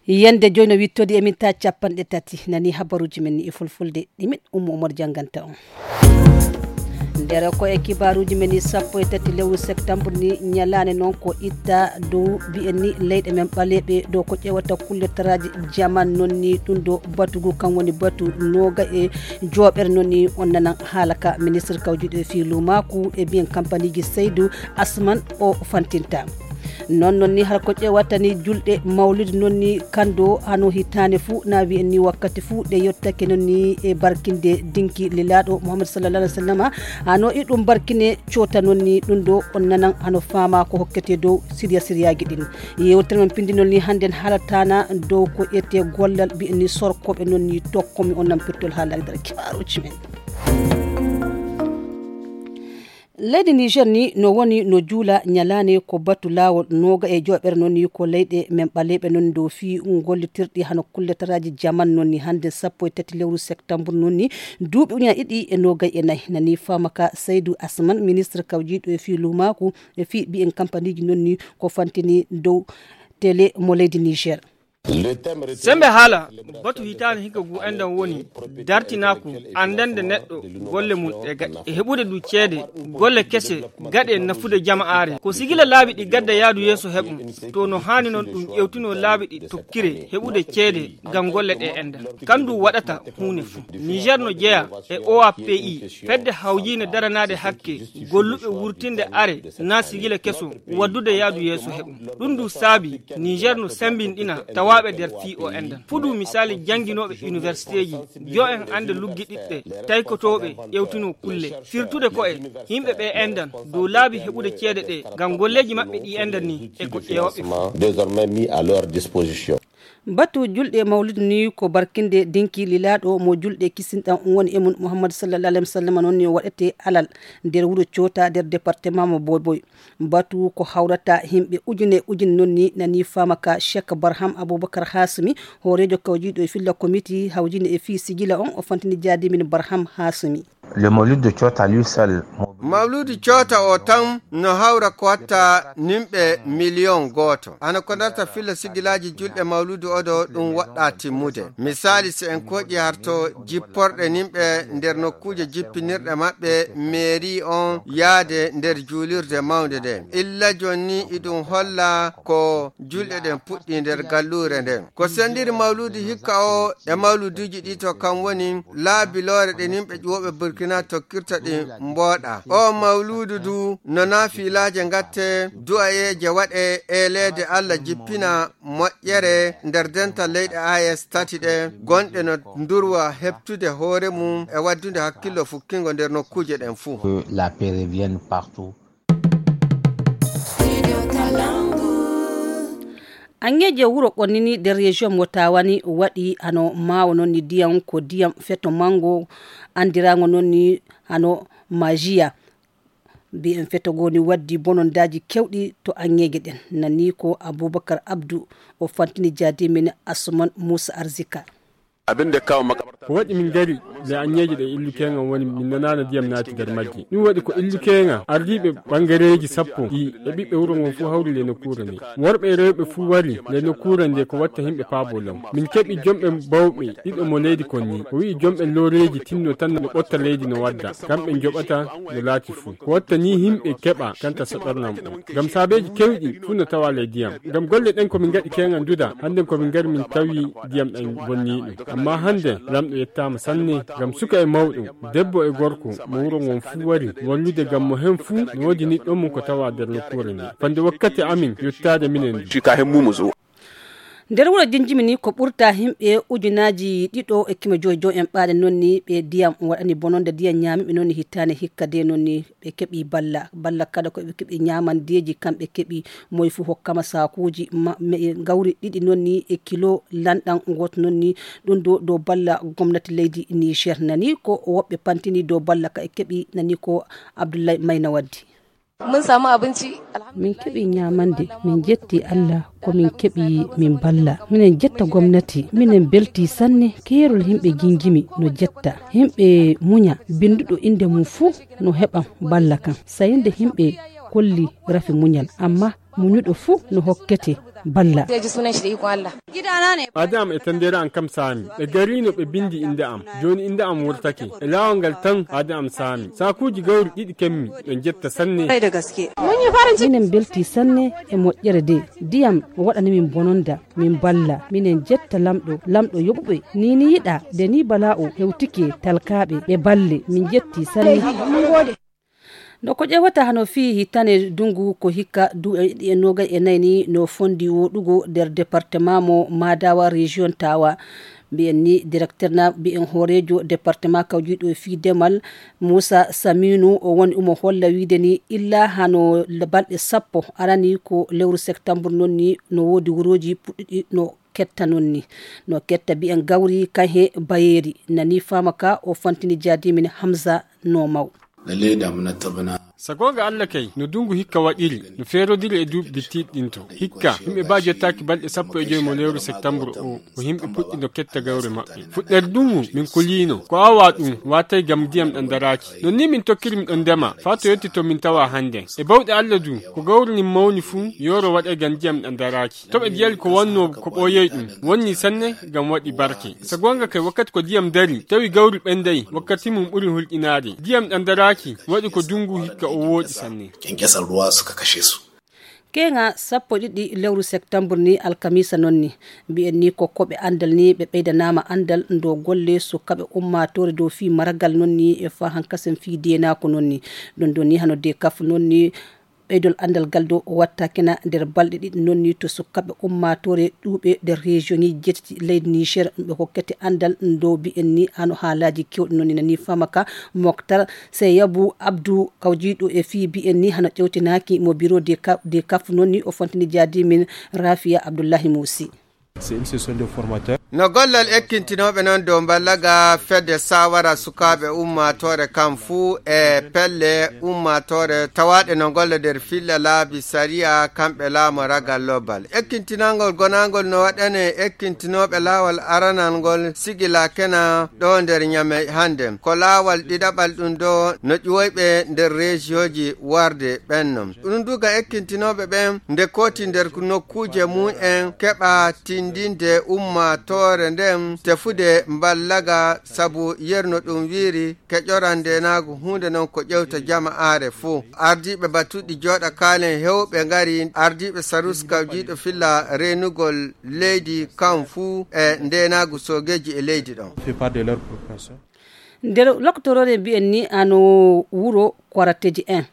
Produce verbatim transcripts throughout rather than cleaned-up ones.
Yande joyi no wittodi e minta capanɗe tati. Nani habaruji men ni e fulfulde, ɗi min Ummu Umar jannganta on. Nder ko e kibaruji men ni, sappo e tati lewru septembre ni, ñalaande noon ko itta dow mbiyen ni leyɗe men ɓaleeɓe ɗo ko ƴeewata kulle taraji jaman noon ni, ɗum ɗo batugu kan woni batu nooga e joɓere noon ni. On nanan haala ka ministre kawjuɗo e fii luumaaku e mbiyen kampaniji Seydou Asman o fantinta. Noon noon ni har ko ƴeewata ni julɗe mawlidi noon ni, kanndo hano hitaande fuu na wiyen ni wakkati fuu ɗe yottake noon ni e barkinde dinki lilaaɗo Muhammad sallallahu alaihi wasallama. Hano i ɗum barkine coota noon ni, ɗum ɗo on nanan hano faama ko hokkete dow siriya siriyaaji ɗin. Yewtere men pindi noon ni hannden haalataana dow ko ƴettee gollal mbiyen ni sorkooɓe noon ni, tokkomi on nampirtol haala e nder kibaaruuji men. Leydi Niger ni no woni no juula ñalaande ko batu laawol nooga e joɓere noon ni ko leyɗe men ɓaleeɓe noon dow fii gollitirɗi hano kulletaraaji jaman noon ni. Hannde sappo e tati lewru septembre noon ni duuɓi ujunaaji ɗiɗi e noogay e nayi, nani faama ka Seydou Asman, ministre kawjiiɗo e fii luumaaku e fii mbiyen kampaniji noon ni ko fantini dow télé mo leydi Niger. Sembe haala batu hitaande hikka gu enɗan woni dartinaaku anndande neɗɗo golle mum ɗe gaɗi e heɓude du ceede golle kese gaɗe nafude jama'aare. Ko sigila laabi ɗi gadda yaadu yeeso heɓum to no haani noon ɗum ƴewtino laabi ɗi tokkire heɓude ceede ngam golle ɗe enɗan. Kandu waɗata huunde fuu. Niger no jeya e O A P I, fedde hawjiinde daranaade hakke golluɓe wurtinde are na sigila keso waddude yaadu yeeso heɓum. Ɗum du saabi Niger no sembinɗina tawaaɓe nder fii o enɗan. Fudu misaali jannginooɓe universitéji, yo en annde luggiɗiɗɓe, taykotooɓe, ƴewtino kulle. Firtude ko e yimɓe ɓe enɗan dow laabi heɓude ceede ɗe ngam golleeji maɓɓe ɗi enɗan ni e ko ƴeewɓe fuu. Désormais mis à leur disposition. Batu julɗe mawlid ni ko barkinde dinki lilaaɗo mo julɗe kisinɗan woni e mum Muhammad sallallahu alaihi wasallam noon ni waɗete alal nder wuro Coota nder département mo Boboy. Batu ko hawrata himɓe ujune ujune noon ni nani faama ka Cheikh Barham Abubakar Hasumi, hooreejo kawjiiɗo e filla komiti hawjine e fii sigila on o fantini jaadimin Barham Hasumi. Le Maulid de Chota lui seul. Mawludu Coota o tan no hawra ko watta nimɓe miliyon gooto. Ana ko darta filla sigilaaji julɗe mawludu oɗo ɗum waɗɗa timmude. Misaali, si en koƴi harto jipporɗe nimɓe nder nokkuuje jippinirɗe maɓɓe, meeri on yaade nder juulirde mawnde nde. Illa jooni ni iɗum holla ko julɗe ɗen puɗɗi nder galluure nden. Ko sendiri mawludu hikka o e mawluduuji ɗi to kam woni laabiloore ɗe nimɓe ƴuwoɓe Burkina tokkirta ɗi mbooɗa. O mawludu du no naafilaaje ngatte, du'ayeeje waɗe, eeleede Allah jippina moƴƴere nder dental leyɗe A E S tati ɗe gonɗe no ndurwa heɓtude hoore mum e waddude hakkillo fukkingo nder nokkuuje ɗen fuu. Que la paix revienne partout. Angeeje wuro Ɓonnini nder région mo Tawa ni waɗi hano maawo noon ni ndiyam, ko ndiyam feto manngo anndiraango noon ni hano majiya. Mbiyen feto goo ni waddi bonondaaji kewɗi to angeeje ɗen. Nani ko Abubakar Abdu o fantini jaadi men Asuman Muusa Arzika. Abin da ya kawo makabarta. Ko waɗi min ngari le angeeje ɗe illu keeŋa woni min nanaana ndiyam naati nder majji. Ɗum waɗi ko illu keeŋa ardiiɓe ɓangareeji sappo ɗi e ɓiɓɓe wuro ngon fuu hawri le nokkuure nde. Worɓe e rewɓe fuu wari le nokkuure nde ko watta yimɓe paabo law. Min keɓi jomɓe bawɓe ɗiɗo mo leydi kon ni. O wi'i jomɓe looreeji tinno tan no ɓotta leydi no wadda. Kamɓe njoɓata no laati fuu. Ko watta ni yimɓe keɓa kanta so ɓernam o. Ngam saabeeji kewɗi fuu no tawa le ndiyam. Ngam golle ɗen ko min ngaɗi keeŋa nduda. Hannden ko min ngari min tawi ndiyam ɗam bonniiɗum. Ammaa hannde Laamɗo yettaama sanne ngam suka e mawɗo, debbo e gorko mo wuro ngon fuu wari wallude ngam mo heen fuu no woodi niɗɗo mum ko tawaa nder nokkuure nde. Fande wakkati amin yottaade minen du. Nder wuro Jinjimi ni ko ɓurta yimɓe ujunaaji ɗiɗo e keme joyi joyi en ɓaade noon ni ɓe ndiyam waɗani bononde ndiyam ñaamiiɓe noon ni hittaande hikka de noon ni ɓe keɓi balla. Balla kada ko ɓe keɓi ñaamandeeji, kamɓe keɓi moye fuu hokkama saakuuji ma-, me-, gawri ɗiɗi noon ni e kilo lanɗam gooto noon ni. Ɗum ɗo, dow balla gomnati leydi Niger. Nani ko woɓɓe pantini dow balla ka e keɓi, nani ko Abdullahi Mayna waddi. Mun samu abinci, alhamdulillah. Min keɓi ñaamande, min jetti Allah ko min keɓi min balla. Minen jetta gomnati, minen belti sanne, keerol yimɓe Jinjimi no jetta. Yimɓe muña, binnduɗo innde mum fuu no heɓa balla kan. Sayinde yimɓe kolli rafi muñal, amma muñuɗo fuu no hokkete Balla. Aadi am e tandere am kam saami. Ɓe gariino ɓe binndi innde am. Jooni innde am wurtake. E laawol ngal tan aadi am saami. Saakuuji gawri ɗiɗi kemmi. Ɓe njetta sanne. Minen mbeltii sanne e moƴƴere de. Ndiyam waɗani min bononda. Min mballa. Minen njetta lamɗo. Lamɗo yoɓuɓe. Ni ni yiɗa. Nde ni balaa o hewtike talkaaɓe. Ɓe mballe. Min njettii sanne. No ko ƴeewata hano fii hitande dungu ko hikka duuɓi ɗiɗi e noogay e nayi ni no fondi woɗugo nder departement mo Madawa region Tawa. Mbiyen ni directeur na mbiyen hooreejo departement kawjiiɗo e fii demal Moussa Saminu o woni omo holla wiide ni illa hano balɗe sappo arani ko lewru septembre non ni no woodi wurooji puɗɗiɗi no ketta non ni. No ketta mbiyen gawri kan he bayeeri nani faama ka o fantini jaadimin Hamza no maw. Lalle da muna tabana. Sagonga Allah kay no dungu hikka waɗiri no feerodiri e duuɓi bittiiɗi ɗin to. Hikka yimɓe ba jottaaki balɗe sappo e joy mo lewru septembre o ko yimɓe puɗɗi no ketta gawre maɓɓe. Fuɗɗere dungu min kuliino ko awa ɗum watay gam ndiyam ɗan daraaki. Non ni min tokkiri mi ɗon ndema faa to yetti to min tawa hannden. E bawɗe Allah du ko gawri nin mawni fuu yooro waɗay gam ndiyam ɗan daraaki. To ɓe jiyali ko wannoo ko ɓooyey ɗum wonni sanne gam waɗi barke. Sagonga kay wakkati ko ndiyam dari tawi gawri ɓenday wakkati mum ɓuri hulɗinaade. Ndiyam ɗan daraaki waɗi ko dungu hikka o wooɗi sanne. Kyankyasan ruwa suka kashe su. Keeŋa sappo ɗiɗi lewru septembre ni alkamiisa non ni. Mbiyen ni ko koɓe anndal ni ɓe ɓeydanaama anndal ndo golle sukkaɓe ummaatoore dow fii maragal non ni e faa hankasen fii deenaako non ni. Ɗum ɗo ni hano de kaf non ni. Ɓeydol anndal gal dow o watta kena nder balɗe ɗiɗi non ni to sukkaɓe ummaatoore ɗuuɓe nder région ŋi jeetati leydi Niger ɓe hokkete anndal ndo mbiyen ni hano haalaaji kewɗi non ni nani faama ka. Moktar Seyabu Abdou kawjiiɗo e fii mbiyen ni hano ƴewtinaaki mo bureau de kaf non ni o fontini jaadi min Rafiya Abdullahi Musi. No gollal ekkintinooɓe noon dow mballaga fedde sawara sukaaɓe ummaatoore kam fuu e pelle ummaatoore tawaaɗe no golla nder filla laabi sariya kamɓe laamu ragal lobbal. Ekkintinangol gonangol no waɗane ekkintinooɓe laawol aranal ngol sigilakena ɗo nder ñame hannde. Ko laawol ɗiɗaɓal ɗum ɗo no ƴuwoyɓe nder reesiyooji warde ɓenno. Ɗum duga ekkintinooɓe ɓen nde kooti nder nokkuuje mum en keɓa tindinde ummaatoore nden tefude mballaga sabu yerno ɗum wiiri keƴoran ndenaagu huunde non ko ƴewta jama aare fuu. Ardiiɓe batuɗi jooɗa kaalen hewɓe ngari ardiiɓe sarus kawjiiɗo filla reenugol leydi kan fuu e ndenaagu soogeeji e leydi ɗon. Nder lokotoroore mbiyen ni ano wuro Kwarateji en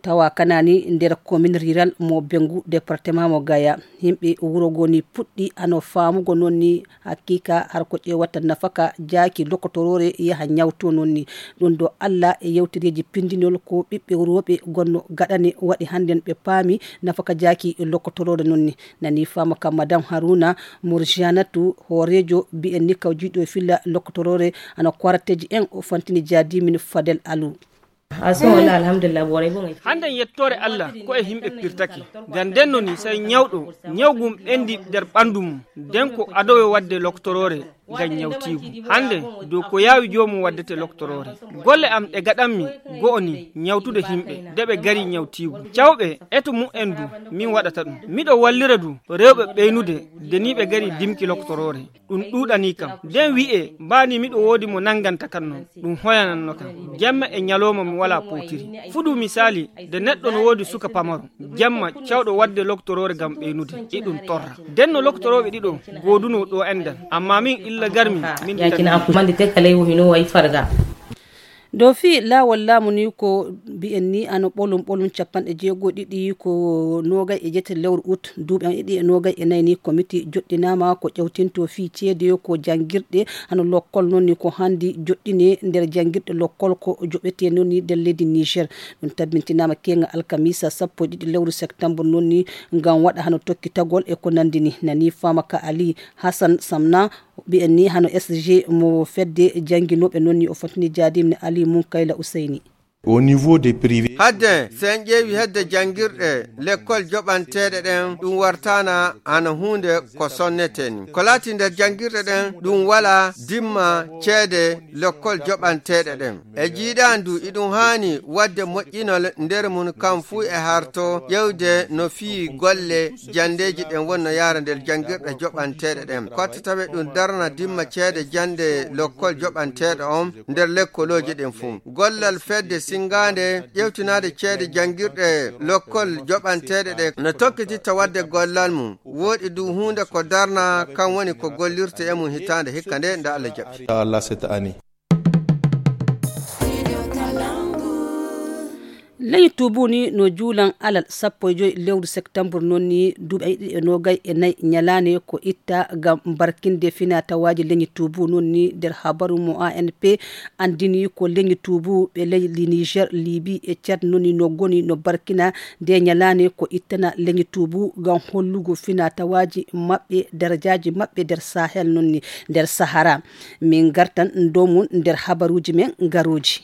tawa kanani nder commune rural mo Bengu département mo Gaya. Yimɓe wuro go ni puɗɗi ano famugo non ni hakika har ko ƴewata nafaka jaaki lokotoroore yaha ñawto non ni. Ɗum ɗo Allah e yewtereeji pindinol ko ɓiɓɓe rooɓe gonno gaɗane waɗi hannden ɓe paami nafaka jaaki lokotoroore non ni. Nani faama ka Madame Haruna Murjanatu hooreejo mbiyen ni kawjiiɗo e filla lokotoroore ano Kwarateji en o fantini jaadi min Fadel Alu. Hannde yettoore Allah ko e yimɓe pirtake. Ngam ndenno ni sey ñawɗo ñawgum ɓendi nder ɓanndu mum. Nden ko adowe waɗde loktoroore ngam ñawtiigu. Hannde dow ko yaawi joomum waɗdete loktoroore. Golle am ɗe gaɗanmi go'o ni ñawtude yimɓe de ɓe gari ñawtiigu. Cawɓe eto mu'en du min waɗata ɗum. Miɗo wallira du rewɓe ɓeynude de ni ɓe gari dimki loktoroore. Ɗum ɗuuɗanii kam. Nden wi'ee mbaani miɗo woodi mo nannganta kam non. Ɗum hoyananno kam. Jemma e ñalooma mi walaa pootiri. Fuɗu misaali, nde neɗɗo no woodi suka pamaro. Jemma cawɗo waɗde loktoroore ngam ɓeynude. Iɗum torra. Nden no loktorooɓe ɗiɗo goodunoo ɗo enɗan. Ammaa min illa garmi, min. Dow fii laawol laamu ni ko mbiyen ni ano ɓolum ɓolum capanɗe jeego e ɗiɗi ko noogay e jeetati lewru ut duuɓi an e ɗiɗi e noogay e nayi ni komiti joɗɗinaama ko ƴewtinto fii ceede ko janngirɗe hano lokkol non ni ko hanndi joɗɗine nder janngirɗe lokkol ko joɓete non ni nder leydi Niger. Ɗum tabbintinaama keenga alkamisa sappo e ɗiɗi lewru septembre non ni ngam waɗa hano tokkitagol e ko nanndi ni nani faama ka Ali Hassan Samna. Mbiyen ni hano S G mo fedde jannginooɓe non ni o fotini jaadimne Ali Munkayla Useyni. Au niveau des privés. Adde, so en ƴeewi hedde janngirɗe lekkol joɓanteeɗe ɗen, ɗum wartaana hano huunde ko sonnetee ni. Ko laati nder janngirɗe ɗen, ɗum wala dimma ceede lekkol joɓanteeɗe ɗen. E jiiɗaandu, iɗum haani wadde moƴƴinol nder mun, kam fuu e harto ƴewde no fii golle janndeeji ɗen wonno yaara nder janngirɗe joɓanteeɗe ɗen. Kotte tawe ɗum darna dimma ceede jannde lekkol joɓanteeɗo on nder lekkolooji ɗin fuu. Gollal fedde sinngaande ƴewtinaade ceede janngirɗe lekkol joɓanteeɗe ɗe no tokkititta wadde gollal mum. Wooɗi du huunde ko darna, kan woni ko gollirte e mum hitaande hikka nde, nde Allah jaɓi. Ya Allah, cette année. Leñi tuubu ni no juulan alal sappo e joy lewru septembre, noon ni duuɓi ɗiɗi e noogay e nayi ñalaande ko itta ngam barkinde fina tawaaji leñi tuubu. Noon ni nder habaru mo A N P anndini ko leñi tuubu ɓe leydi Niger, Libi e Tchad noon ni no goni no barkina nde ñalaande ko ittana leñi tuubu ngam hollugo fina tawaaji maɓɓe, darajaaji maɓɓe nder Sahel noon ni nder Sahara. Min ngartan dow mum nder habaruuji men garooji.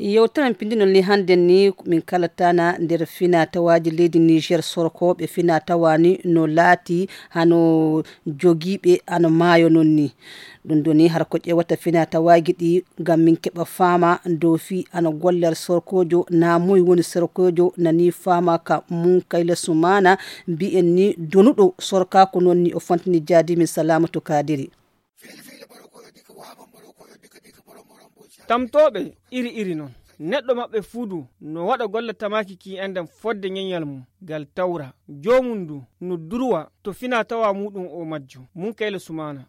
Yewtere men pinndinol ni hannden ni min kalatana nder fina tawaaji leydi Niger, sorkooɓe fina tawa ni no laati hano jogiiɓe hano maayo noon ni. Ɗum ɗo ni har ko ƴeewata fina tawaaji ɗi ngam min keɓa faama dow fii hano gollal sorkoojo, na moy woni sorkoojo, na ni faama ka Munkayla Sumana, mbiyen ni donuɗo sorkaaku noon ni o fantini jaadi min Salamatu Kadiri. Tamtooɓe iri iri non. Neɗɗo maɓɓe fuu du no waɗa golle tamaaki ki enden fodde ñeñal mum gal tawra. Joomum du no durwa to fina tawa muɗum o majju. Munkayla Sumana.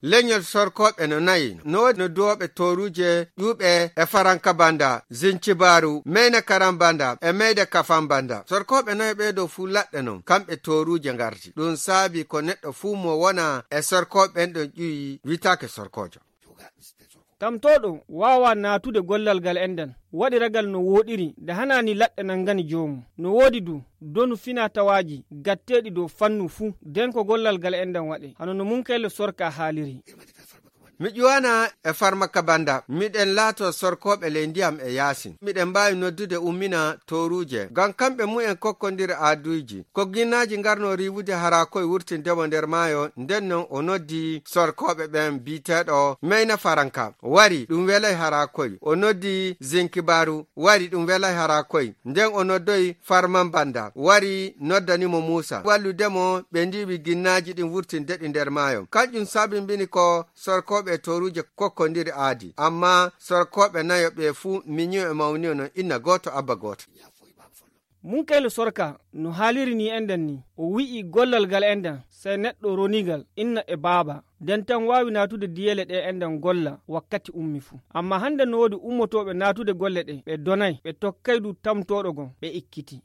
Leñol sorkooɓe no nayi. No woodi no duwooɓe tooruuje ƴuuɓe e Faranka Banda, Zincibaaru, Meyna Karan Banda e Meyda Kafan Banda. Sorkooɓe nayo ɓee ɗo fuu laɗɗe non, kamɓe tooruuje ngarti. Ɗum saabi ko neɗɗo fuu mo wona e sorkooɓe ɓen ɗon ƴuwi witaake sorkoojo. Tamtooɗo waawaa naatude gollal gal enden, waɗiragal no wooɗiri, nde hanaani laɗɗe nangani joomum. No woodi du donu fina tawaaji gatteeɗi dow fannu fuu, nden ko gollal gal enden waɗee, hano no Munkayla Sorka haaliri. Mi ƴuwana e Farmaka Banda, miɗen laato sorkooɓe ley ndiyam e yaasin. Miɗen mbaawi noddude ummina tooruuje, ngam kamɓe mumen kokkondira aaduuji. Ko ginnaaji ngarno riiwude hara koye wurtindemo nder maayo, nden non o noddi sorkooɓe ɓen bi'eteeɗo Meyna Faranka. Wari, ɗum welay hara koye. O noddi Zinkibaaru. Wari, ɗum welay hara koye. Nden o noddoyi Farman Banda. Wari, noddani mo Muusa. Walludemo, ɓe ndiiwi ginnaaji ɗin wurtinde ɗi nder maayo. Kanƴum sabimbini ko sorkooɓe e tooruuje kokkondiri aadi. Ammaa sorkooɓe nayo ɓe fuu miñiyo e mawniyo no inna gooto, abba gooto. Munkayla Sorka no haaliri ni enden ni, o wi'i gollal gal enden, sey neɗɗo ronigal, inna e baaba. Nden tan waawi naatude diyele ɗe enden golla wakkati ummi fuu. Ammaa hande no woodi ummotooɓe naatude golle ɗe, ɓe donay, ɓe tokkay du tamtooɗo gon, ɓe ikkiti.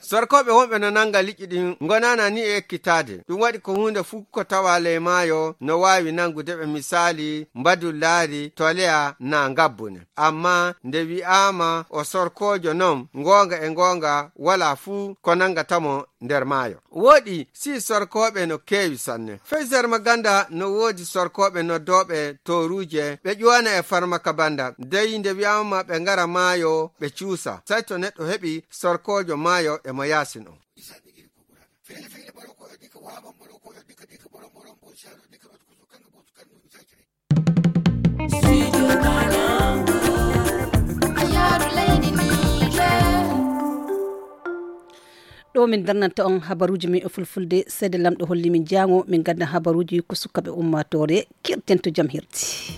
Sorkooɓe wonɓe no nanga liƴƴi ɗin ngonaana ni e ekkitaade. Ɗum waɗi ko huunde fuu ko tawa ley maayo no waawi nangude ɓe, misaali, mbadullaari, toleya, naa ngabbune. Ammaa nde wi'aama o sorkoojo non, ngoonga e ngoonga, walaa fuu ko nangata mo nder maayo. Wooɗi, si sorkooɓe no keewi sanne. Fey Zarmaganda no woodi sorkooɓe noddooɓe tooruuje, ɓe ƴuwana e Farmaka Banda. Dey nde wi'aama ɓe ngara maayo, ɓe cuusa. Sey to neɗɗo heɓi sorkoojo maayo e mo yaasin on. Ɗo min darnanta on habaruuji men e fulfulde, seede Lamɗo holli min jaango, min gadda habaruuji ko sukaɓe ummaatoore, kirten to jam hirti.